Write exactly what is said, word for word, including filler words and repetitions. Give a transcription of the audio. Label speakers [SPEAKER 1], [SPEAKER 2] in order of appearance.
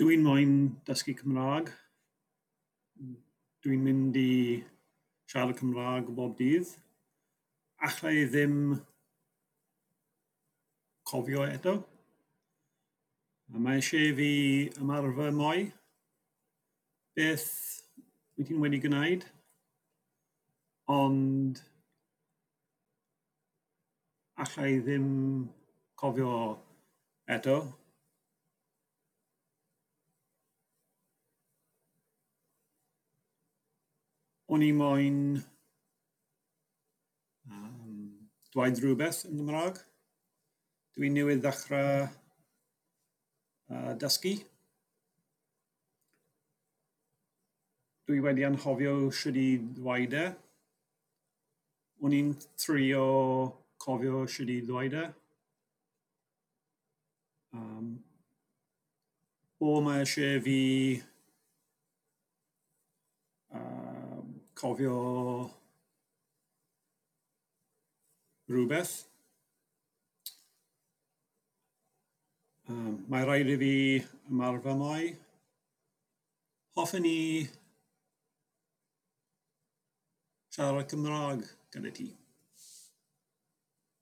[SPEAKER 1] Dwi'n moyn dysgu Cymraeg. Dwi'n mynd i siarad Cymraeg bob dydd. Alla i ddim cofio eto. Mae eisiau i fi ymarfer mwy. Beth wyt ti'n wedi gwneud? Ond alla i ddim cofio eto. O'n i moyn yym dweud rhywbeth yn Gymraeg. Dwi newydd ddechrau yy dysgu. Dwi wedi anghofio sut i ddweud e. O'n i'n trio cofio sut i ddweud e. Yym o mae eisiau fi yym cofio rhywbeth. Yym mae rhaid i fi ymarfer mwy. Hoffwn i siarad Cymraeg gyda ti.